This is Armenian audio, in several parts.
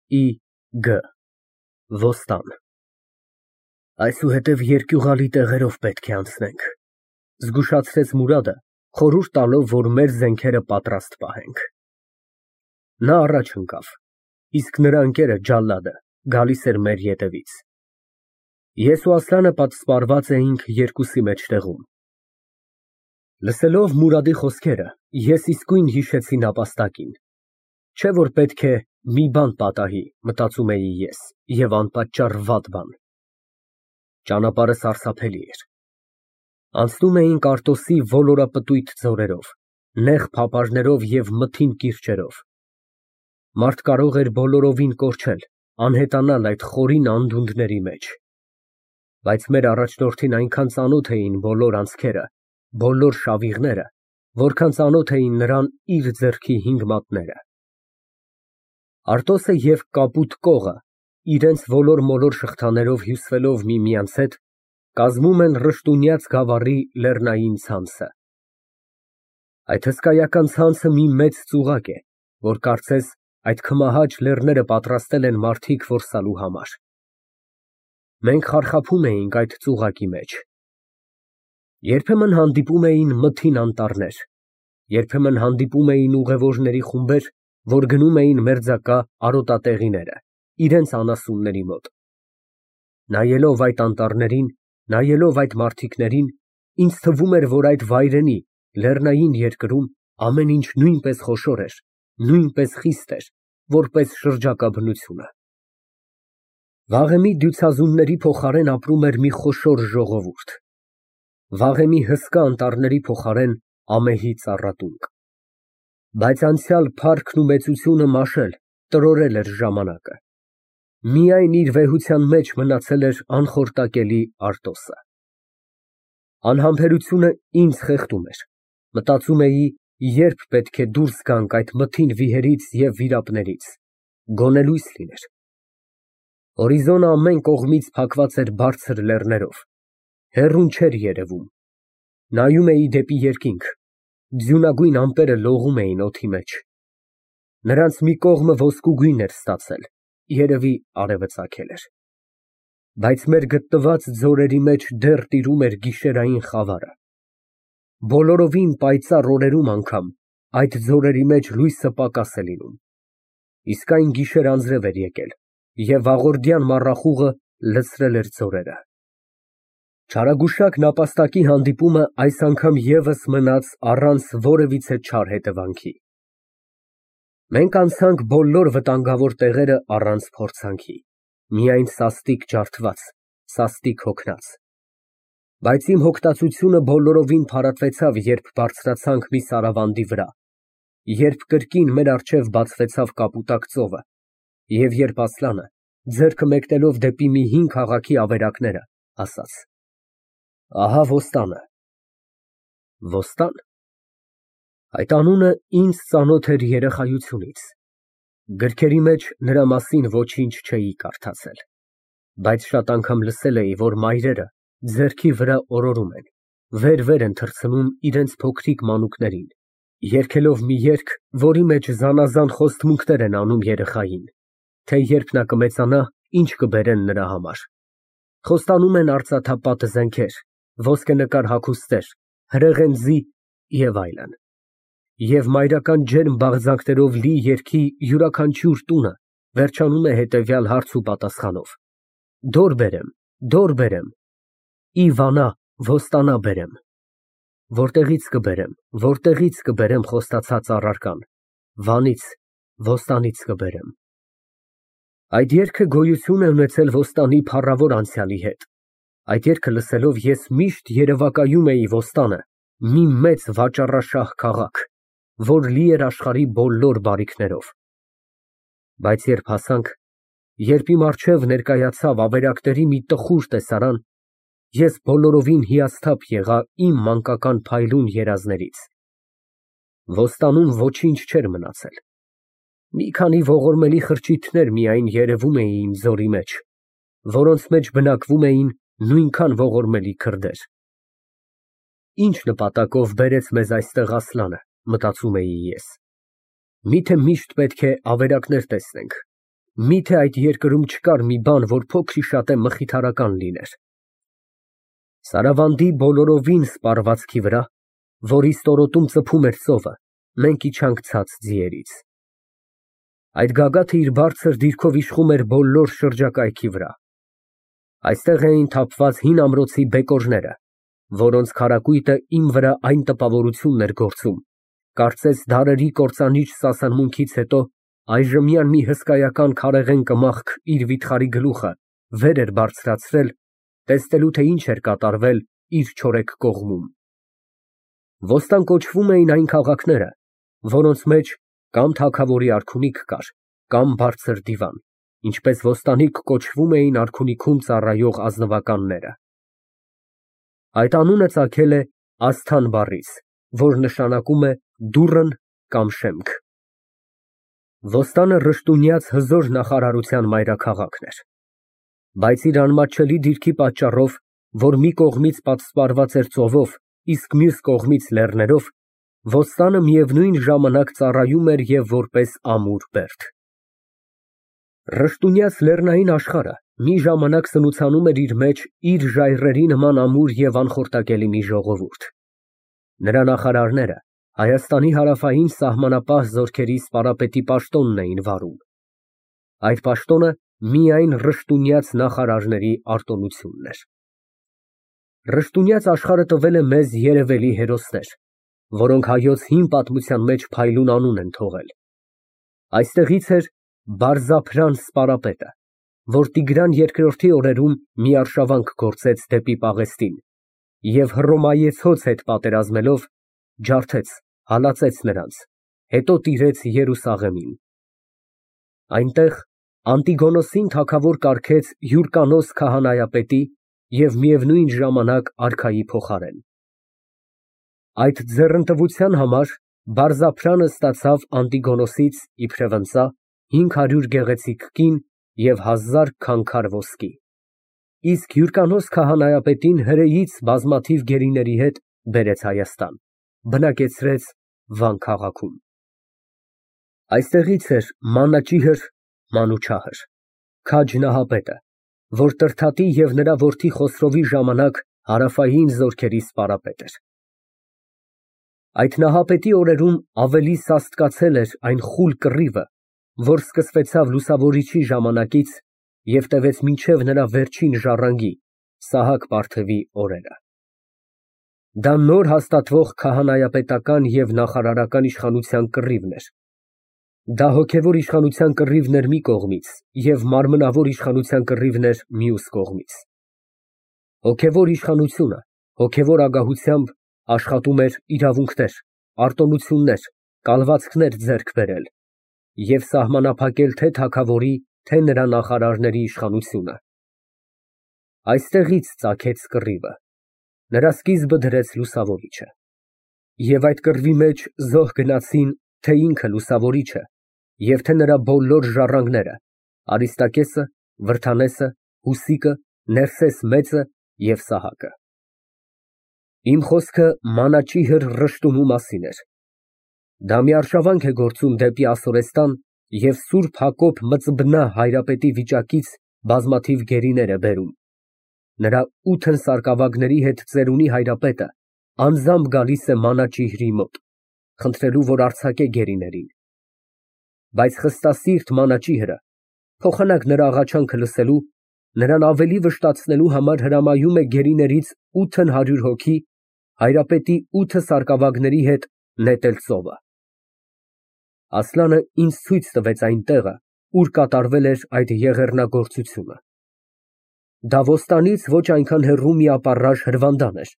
Ի.Գ. Ոստան։ Այսուհետև երկյուղալի տեղերով պետք է անցնենք, զգուշացրեց Մուրադը, խորհուրդ տալով, որ մեր զենքերը պատրաստ պահենք։ Նա առաջ ընկավ, իսկ նրա ընկերը ջալադը գալիս էր մեր ետևից։ Ես ու Ասլանը պատսպարված էինք երկուսի մեջտեղում։ Լսելով Մուրադի խոսքերը, ես իսկույն հիշեցի նապաստակին, չէ՞ որ պետք է մի բան պատահի, մտածում էի ես, և անպատճառ վատ բան։ Ճանապարհը սարսափելի էր։ Անցնում էինք Արտոսի ոլորապտույտ ձորերով, նեղ փապարներով և մթին կիրճերով։ Մարդ կարող էր բոլորովին կորչել, անհետանալ այդ խորին անդունդների մեջ։ Բայց մեր առաջնորդին այնքան ծանոթ էին բոլոր անցքերը, բոլոր շավիղները, որքան ծանոթ էին նրան իր ձեռքի 5 մատները։ Արտոսը և Կապուտ կողը, իրենց ոլոր-մոլոր շղթաներով հյուսվելով միմյանց հետ, կազմում են Ռշտունյաց գավառի լեռնային ցանցը։ Այդ հսկայական ցանցը մի մեծ ծուղակ է, որ կարծես այդ քմահաճ լեռները պատրաստել են մարդիկ որսալու համար։ Մենք խարխափում էինք այդ ծուղակի մեջ։ Երբեմն հանդիպում էին մթին անտառներ, երբեմն հանդիպում էին ուղևորների խումբեր, որ գնում էին մերձակա արոտատեղիները, իրենց անասունների մոտ։ Նայելով այդ անտառներին, նայելով այդ մարդիկներին, ինձ թվում էր, որ այդ վայրենի, լեռնային երկրում ամեն ինչ նույնպես խոշոր էր, նույնպես խիստ էր, որպես շրջակա բնությունը։ Վաղեմի դյուցազունների փոխարեն ապրում էր մի խոշոր ժողովուրդ։ Վաղեմի հսկա անտառների փոխարեն ամեհի ծառատունկ։ Բայց անցյալ փառքն ու մեծությունը մաշել, տրորել էր ժամանակը։ Միայն իր վեհության մեջ մնացել էր անխորտակելի Արտոսը։ Անհամբերությունը ինձ խեղդում էր։ Մտածում էի, երբ պետք է դուրս գանք այդ մթին վիհերից և վիրապներից, գոնե լույս լիներ։ Հորիզոնը ամեն կողմից փակված էր բարձր լեռներով, հեռուն չէր երևում։ Նայում էի դեպի երկինք, ձյունագույն ամպերը լողում էին օդի մեջ։ Նրանց մի կողմը ոսկուգույն էր ստացել, երևի արևը ծագել էր։ Բայց մեր գտնված ձորերի մեջ դեռ տիրում էր գիշերային խավարը։ Բոլորովին պայծառ օրերում անգամ այդ ձորերի մեջ լույսը պակաս է լինում։ Իսկ այն գիշեր անձրև էր եկել, և վաղորդյան մառախուղը լցրել էր ձորերը։ Չարագուշակ նապաստակի հանդիպումը այս անգամ ևս մնաց առանց որևիցե չար հետևանքի։ Մենք անցանք բոլոր վտանգավոր տեղերը առանց փորձանքի, միայն սաստիկ ջարդված, սաստիկ հոգնած։ Բայց իմ հոգտածությունը բոլորովին փարատվեցավ, երբ բարձրացանք մի սարավանդի վրա, երբ կրկին մեր առջև բացվեցավ Կապուտակ ծովը, և երբ Ասլանը, ձեռքը մեկնելով դեպի մի հին քաղաքի ավերակները, ասաց. «Ահա Ոստանը»։ Ոստան։ Այդ անունը ինձ ծանոթ էր երեխայությունից։ Գրքերի մեջ նրա մասին ոչինչ չէի կարդացել, բայց շատ անգամ լսել էի, որ մայրերը ձեռքի վրա օրորում են, վեր են թռցնում իրենց փոքրիկ մանուկներին, երգելով մի երգ, որի մեջ զանազան խոստմունքներ են անում երեխային, թե երբ նա կմեծանա, ինչ կբերեն նրա համար։ Խոստանում են արծաթապատ զենքեր, ոսկենկար հագուստներ, հրեղեն ձի և այլն։ Եվ մայրական ջերմ բաղձանքներով լի երգի յուրաքանչյուր տունը վերջանում է հետևյալ հարց ու պատասխանով. «Դոր բերեմ, դոր բերեմ, ի Վանա, Ոստանա բերեմ»։ Որտեղից կբերեմ խոստացած առարկան, Վանից, Ոստանից կբերեմ։ Այդ երգը գոյություն է ունեցել Ոստանի փառավոր անցյալի հետ։ Այդ երգը լսելով ես միշտ երևակայում էի Ոստանը, մի մեծ վաճառաշահ քաղաք, որ լի էր աշխարհի բոլոր բարիքներով։ Բայց երբ հասանք, երբ իմ առջև ներկայացավ ավերակների մի տխուր տեսարան, ես բոլորովին հիասթափ եղա իմ մանկական փայլուն երազներից։ Ոստանում ոչինչ չէր մնացել։ Մի քանի ողորմելի խրճիթներ միայն երևում էին ձորի մեջ, որոնց մեջ բնակվում էին նույնքան ողորմելի քրդեր։ Ինչ նպատակով բերեց մեզ այստեղ Ասլանը, մտածում էի ես։ Միթե միշտ պետք է ավերակներ տեսնենք, Միթե այդ երկրում չկար մի բան, որ փոքր-ի-շատե մխիթարական լիներ։ Սարավանդի բոլորովին սպառվածքի վրա, որի ստորոտում ծփում էր ծովը, մենք իջանք ցած ձիերից։ Այդ գագաթը իր բարձր դիրքով իշխում էր բոլոր շրջակայքի վրա։ Այստեղ էին թափված հին ամրոցի բեկորները, որոնց քարակույտը իմ վրա այն տպավորությունն էր գործում, կարծես դարերի կործանիչ սասանմունքից հետո այժմյան մի հսկայական քարեղեն կմախք իր վիթխարի գլուխը վեր էր բարձրացրել, տեսնելու թե ինչ էր կատարվել իր չորեկ կողմում։ Ոստան կոչվում էին այն քաղաքները, որոնց մեջ կամ թագավորի արքունիք կար, կամ բարձր դիվան, ինչպես ոստանիկ կոչվում էին արքունիքում ծառայող ազնվականները։ Այդ անունը ծագել է Ասթան բառից, որ նշանակում է դուռն կամ շեմք։ Ոստանը ռշտունյաց հզոր նախարարության մայրաքաղաքն էր, բայց իր անմատչելի դիրքի պատճառով, որ մի կողմից պատսպարված էր ծովով, իսկ մյուս կողմից լեռներով, ոստանը միևնույն ժամանակ ծառայում էր և որպես ամուր բերդ։ Ռշտունյաց լեռնային աշխարհը մի ժամանակ սնուցանում էր իր մեջ իր ժայռերի նման ամուր և անխորտակելի մի ժողովուրդ։ Նրա նախարարները Հայաստանի հարավային սահմանապահ զորքերի սպարապետի պաշտոնն էին վարում։ Այդ պաշտոնը միայն ռշտունյաց նախարարների արտոնությունն էր։ Ռշտունյաց աշխարհը տվել է մեզ երևելի հերոսներ, որոնք հայոց հին պատմության մեջ փայլուն անուն են թողել։ Այստեղից էր Բարձափրան սպարապետը, որ Տիգրան II օրերում մի արշավանք գործեց դեպի Պաղեստին և Հռոմայեցոց հետ պատերազմելով ջարդեց, հալածեց նրանց, հետո տիրեց Երուսաղեմին։ Այնտեղ Անտիգոնոսին թագավոր կարգեց Հյուրկանոս քահանայապետի և միևնույն ժամանակ արքայի փոխարեն։ Այդ ձեռնտվության համար Բարձափրանը ստացավ Անտիգոնոսից իբրև ընծա 500 գեղեցիկ կին և 1000 քանքար ոսկի, իսկ Հյուրկանոս քահանայապետին հրեից բազմաթիվ գերիների հետ բերեց Հայաստան, բնակեցրեց Վան քաղաքում։ Այստեղից էր Մանաճիհր (Մանուչահր) քաջ Նահապետը, որ Տրդատի և նրա որդի Խոսրովի ժամանակ հարավային զորքերի սպարապետ էր։ Այդ Նահապետի օրերում ավելի սաստկացել էր այն խուլ կռիվը, որ սկսվեցավ լուսավորիչի ժամանակից և տևեց մինչև նրա վերջին ժառանգի՝ Սահակ֊Պարթևի օրերը։ Դա նոր հաստատվող քահանայապետական և նախարարական իշխանության կռիվն էր։ Դա հոգևոր իշխանության կռիվն էր մի կողմից և մարմնավոր իշխանության կռիվն էր մյուս կողմից։ Հոգևոր իշխանությունը հոգևոր ագահությամբ աշխատում էր իրավունքներ, արտոնություններ, կալվածքներ ձեռք բերել և սահմանափակել թե թագավորի, թե նրա նախարարների իշխանությունը։ Այստեղից ծագեց կռիվը, նրա սկիզբը դրեց լուսավորիչը։ Եվ այդ կռվի մեջ զոհ գնացին թե ինքը լուսավորիչը և թե նրա բոլոր ժառանգները՝ Արիստակեսը, Վրդանեսը, Հուսիկը, Ներսես մեծը և Սահակը։ Իմ խոսքը Մանաճիհր Ռշտունու մասին էր։ Դա մի արշավանք է գործում դեպի Ասորեստան և Սուրբ Հակոբ Մծբնա հայրապետի վիճակից բազմաթիվ գերիներ է բերում։ Նրա 8 սարկավագների հետ ծերունի հայրապետը անձամբ գալիս է Մանաճիհրի մոտ, խնդրելու, որ արձակե գերիներին։ Բայց խստասիրտ Մանաճիհրը, փոխանակ նրա աղաչանքը լսելու, նրան ավելի վշտացնելու համար հրամայում է գերիներից 800 հոգի հայրապետի 8 սարկավագների հետ նետել ծովը։ Ասլանը ինձ ցույց տվեց այն տեղը, ուր կատարվել էր այդ եղեռնագործությունը։ Դա ոստանից ոչ այնքան հեռու մի ապառաժ հրվանդան էր,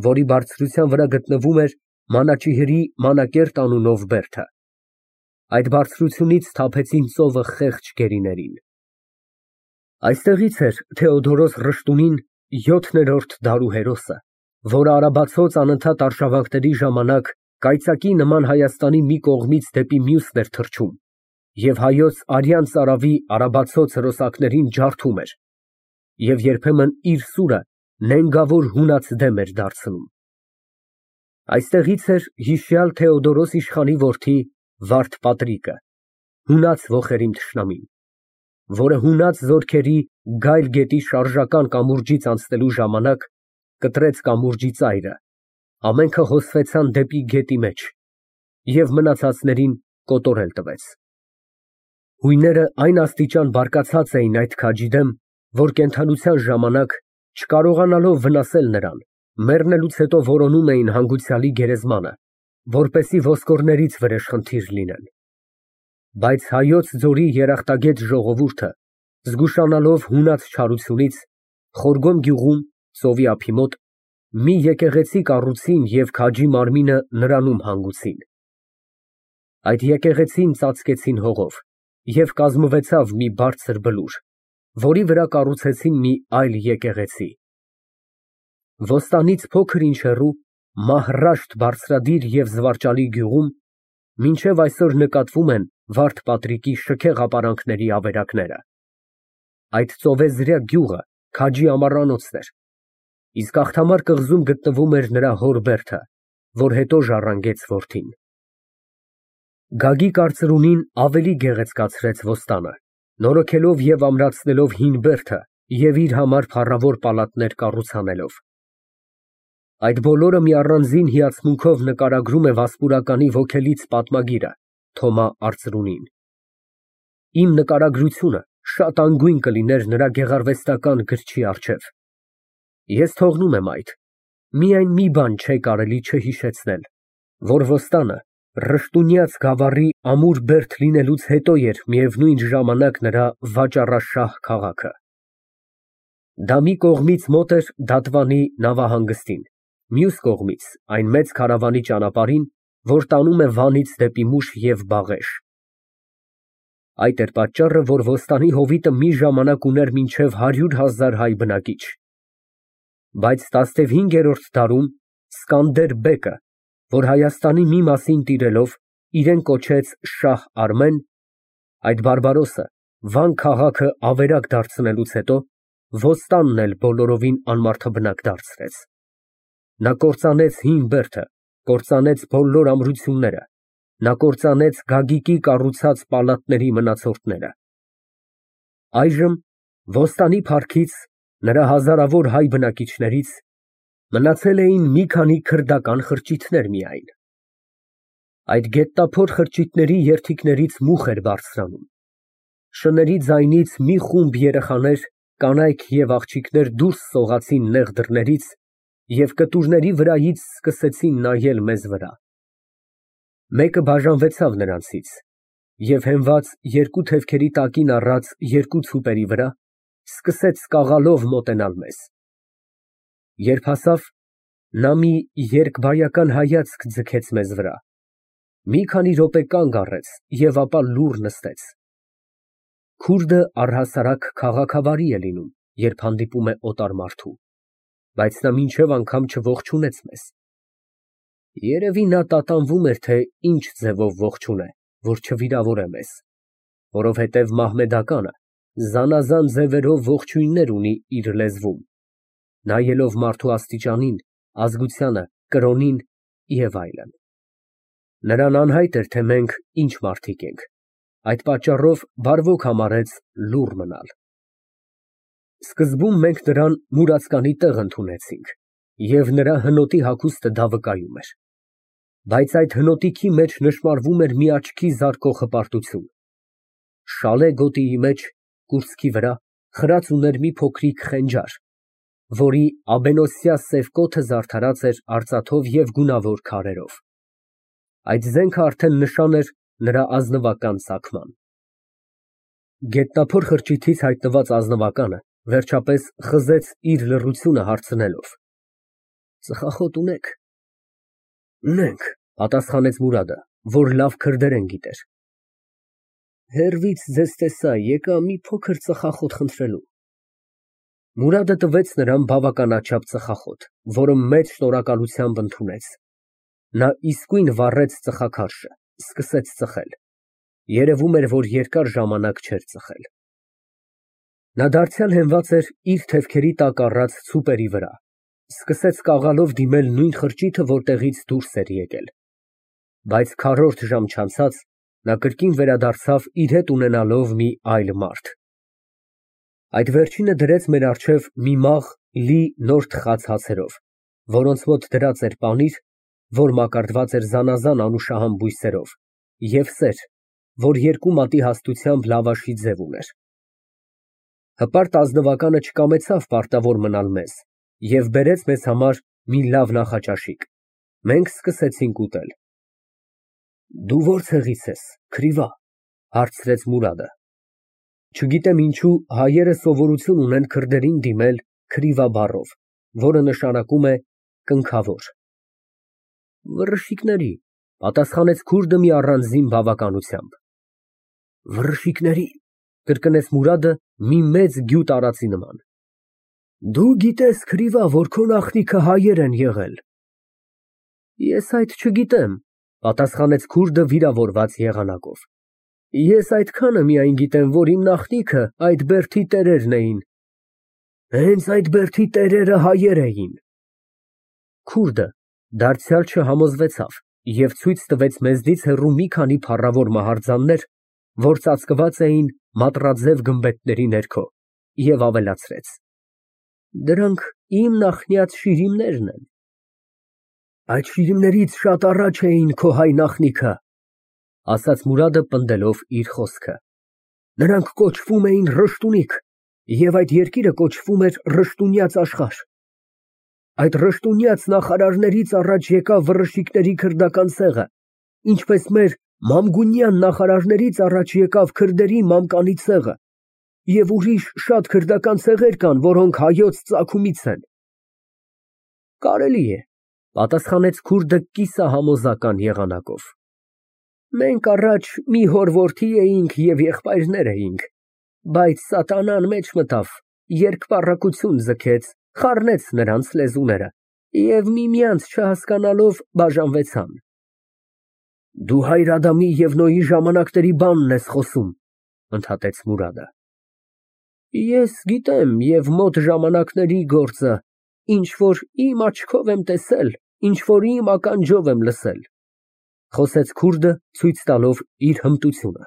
որի բարձրության վրա գտնվում էր Մանաճիհրի Մանակերտ անունով բերդը։ Այդ բարձրությունից թափեցին ծովը խեղճ գերիներին։ Այստեղից էր Թեոդորոս Ռշտունին 7-րդ դարու հերոսը, որը արաբացոց անընդհատ արշավանքների ժամանակ կայծակի նման Հայաստանի մի կողմից դեպի մյուսն էր թռչում և հայոց արյան ծարավի արաբացոց հրոսակներին ջարդում էր և երբեմն իր սուրը նենգավոր հունած դեմ էր դարձնում։ Այստեղից էր հիշյալ Թեոդորոս իշխանի որդի Վարդ Պատրիկը, հունած ոխերիմ թշնամին։ որը հունած զորքերի գայլ գետի շարժական կամուրջից անցնելու ժամանակ կտրեց կամուրջի ծայրը, ամենքը հոսվեցան դեպի գետի մեջ և մնացածներին կոտորել տվեց։ Հույները այն աստիճան բարկացած էին այդ քաջի դեմ, որ կենդանության ժամանակ, չկարողանալով վնասել նրան, մեռնելուց հետո որոնում էին հանգուցյալի գերեզմանը, որպեսզի ոսկորներից վրեժխնդիր լինեն։ Բայց Հայոց ձորի երախտագետ ժողովուրդը, զգուշանալով հունած չարությունից, Խորգոմ գյուղում, ծովի ափի մոտ, մի եկեղեցի կառուցին և քաջի մարմինը նրանում հանգուցին։ Այդ եկեղեցին ծածկեցին հողով և կազմվեցավ մի բարձր բլուր, որի վրա կառուցեցին մի այլ եկեղեցի։ Ոստանից փոքր-ինչ հեռու, Մահռաշտ բարձրադիր և զվարճալի գյուղում մինչև այսօր նկատվում են Վարդ Պատրիկի շքեղ ապարանքների ավերակները։ Այդ ծովեզրյա գյուղը քաջի ամառանոցն էր, իսկ աղթամար կղզում գտնվում էր նրա հոր բերդը, որ հետո ժառանգեց որդին։ Գագիկ արծրունին ավելի գեղեցկացրեց Ոստանը, նորոգելով և ամրացնելով հին բերդը և իր համար փառավոր պալատներ կառուցանելով։ Այդ բոլորը մի առանձին հիացմունքով նկարագրում է Վասպուրականի ոգելից պատմագիրը Թոմա Արծրունին։ Իմ նկարագրությունը շատ անգույն կլիներ նրա գեղարվեստական գրչի առջև։ Ես թողնում եմ այդ, միայն մի բան չէ կարելի չհիշեցնել, որ Ոստանը Ռշտունյաց գավառի ամուր բերդ լինելուց հետո էր միևնույն ժամանակ նրա վաճառաշահ քաղաքը։ Դա մի կողմից մոտ էր Դատվանի նավահանգստին, մյուս կողմից այն մեծ քարավանի ճանապարհին, որ տանում է Վանից դեպի Մուշ և Բաղեշ։ Այդ էր պատճառը, որ Ոստանի հովիտը մի ժամանակ ուներ մինչև 100,000 հայ բնակիչ։ Բայց 15-րդ դարում Սկանդեր բեկը, որ Հայաստանի մի մասին տիրելով իրեն կոչեց Շահ Արմեն, այդ բարբարոսը Վան քաղաքը ավերակ դարձնելուց հետո Ոստանն էլ բոլորովին անմարդաբնակ դարձրեց։ Նա կործանեց հին բերդը, կործանեց բոլոր ամրությունները, նա կործանեց Գագիկի կառուցած պալատների մնացորդները։ Այժմ Ոստանի փառքից, նրա հազարավոր հայ բնակիչներից մնացել էին մի քանի քրդական խրճիթներ միայն։ Այդ գետնափոր խրճիթների երդիքներից մուխ էր բարձրանում։ Շների ձայնից մի խումբ երեխաներ, կանայք և աղջիկներ դուրս սողացին նեղ դռներից և կտուրների վրայից սկսեցին նայել մեզ վրա։ Մեկը բաժանվեցավ նրանցից և հենված երկու թևքերի տակին առած երկու ցուպերի վրա, սկսեց սկաղալով մոտենալ մեզ։ Երբ հասավ, նա մի երկբայական հայացք ձգեց մեզ վրա, մի քանի րոպե կանգ առեց և ապա լուռ նստեց։ Քուրդը առհասարակ քաղաքավարի է լինում, երբ հանդիպում է օտար մարդու, բայց նա մինչև անգամ չողջունեց մեզ։ Երևի նա տատանվում էր, թե ինչ ձևով ողջունե, որ չվիրավորե մեզ, որովհետև մահմեդականը զանազան ձևերով ողջույններ ունի իր լեզվում, նայելով մարդու աստիճանին, ազգությանը, կրոնին և այլն։ Նրան անհայտ էր, թե մենք ինչ մարդիկ ենք, այդ պատճառով բարվոք համարեց լուռ մնալ։ Սկզբում մենք նրան մուրացկանի տեղ ընդունեցինք, և նրա հնոտի հագուստը դա վկայում էր։ Բայց այդ հնոտիքի մեջ նշմարվում էր մի աչքի զարկող հպարտություն։ Շալե գոտիի մեջ, կուրծքի վրա, խրած ուներ մի փոքրիկ խենջար, որի աբենոսյա սև կոթը զարդարած էր արծաթով և գունավոր քարերով։ Այդ զենքը արդեն նշան էր նրա ազնվական ծագման։ Գետնափոր խրճիթից հայտնված ազնվականը վերջապես խզեց իր լռությունը հարցնելով. «Ծխախոտ ունե՞ք»։ «Ունենք», պատասխանեց Մուրադը, որ լավ քրդերեն գիտեր։ «Հեռվից ձեզ տեսա, եկա մի փոքր ծխախոտ խնդրելու»։ Մուրադը տվեց նրան բավականաչափ ծխախոտ, որը մեծ շնորհակալությամբ ընդունեց։ Նա իսկույն վառեց ծխաքարշը, սկսեց ծխել։ Երևում էր, որ երկար ժամանակ չէր ծխել։ Նա դարձյալ հենված էր իր թևքերի տակ առած ցուպերի վրա, սկսեց կաղալով դիմել նույն խրճիթը, որտեղից դուրս էր եկել։ Բայց քառորդ ժամ չանցած նա կրկին վերադարձավ իր հետ ունենալով մի այլ մարդ, Այդ վերջինը դրեց մեր առջև մի մաղ լի նոր թխած հացերով, որոնց մոտ դրած էր պանիր, որ մակարդված էր զանազան անուշահամ բույսերով, և սեր, որ երկու մատի հաստությամբ լավաշի ձև ուներ։ Հպարտ ազնվականը չկամեցավ պարտավոր մնալ մեզ և բերեց մեզ համար մի լավ նախաճաշիկ։ Մենք սկսեցինք ուտել։ Դու ո՞ր ցեղից ես, քրիվա, հարցրեց Մուրադը։ Չգիտեմ ինչու հայերը սովորություն ունեն քրդերին դիմել քրիվա բառով, որը նշանակում է կնքավոր։ Վռշիկների, պատասխանեց քուրդը մի առանձին բավականությամբ։ Վռշիկների, կրկնեց Մուրադը մի մեծ գյուտ արածի նման։ Դու գիտես, քրիվա, որ քո նախնիքը հայեր են եղել։ Ես այդ չգիտեմ, պատասխանեց քուրդը վիրավորված եղանակով։ Ես այդքանը միայն գիտեմ, որ իմ նախնիքը այդ բերդի տերերն էին։ Հենց այդ բերդի տերերը հայեր էին։ Քուրդը դարձյալ չհամոզվեցավ և ցույց տվեց մեզնից հեռու մի քանի փառավոր մահարձաններ, որ ծածկված էին մատրաձև գմբեթների ներքո, և ավելացրեց. Դրանք իմ նախնյաց շիրիմներն են։ Այդ շիրիմներից շատ առաջ էին քո հայ նախնիքը, ասաց Մուրադը պնդելով իր խոսքը։ Նրանք կոչվում էին Ռշտունիկ, և այդ երկիրը կոչվում էր Ռշտունյաց աշխարհ։ Այդ Ռշտունյաց նախարարներից առաջ եկավ վռշիկների քրդական ցեղը, ինչպես մեր Մամգունյան նախարարներից առաջ եկավ քրդերի մամկանի ցեղը, և ուրիշ շատ քրդական ցեղեր կան, որոնք հայոց ծագումից են։ Կարելի է, պատասխանեց քուրդը կիսահամոզական եղանակով։ Մենք առաջ մի հոր-որդի էինք և եղբայրներ էինք, բայց սատանան մեջ մտավ, երկպառակություն ձգեց, խառնեց նրանց լեզուները և միմյանց չհասկանալով բաժանվեցան։ Դու հայր Ադամի և Նոյի ժամանակների բանն ես խոսում, ընդհատեց Մուրադը։ Ես գիտեմ և մոտ ժամանակների գործը, ինչ որ իմ աչքով եմ տեսել, ինչ որ իմ ականջով եմ լսել, խոսեց քուրդը ցույց տալով իր հմտությունը։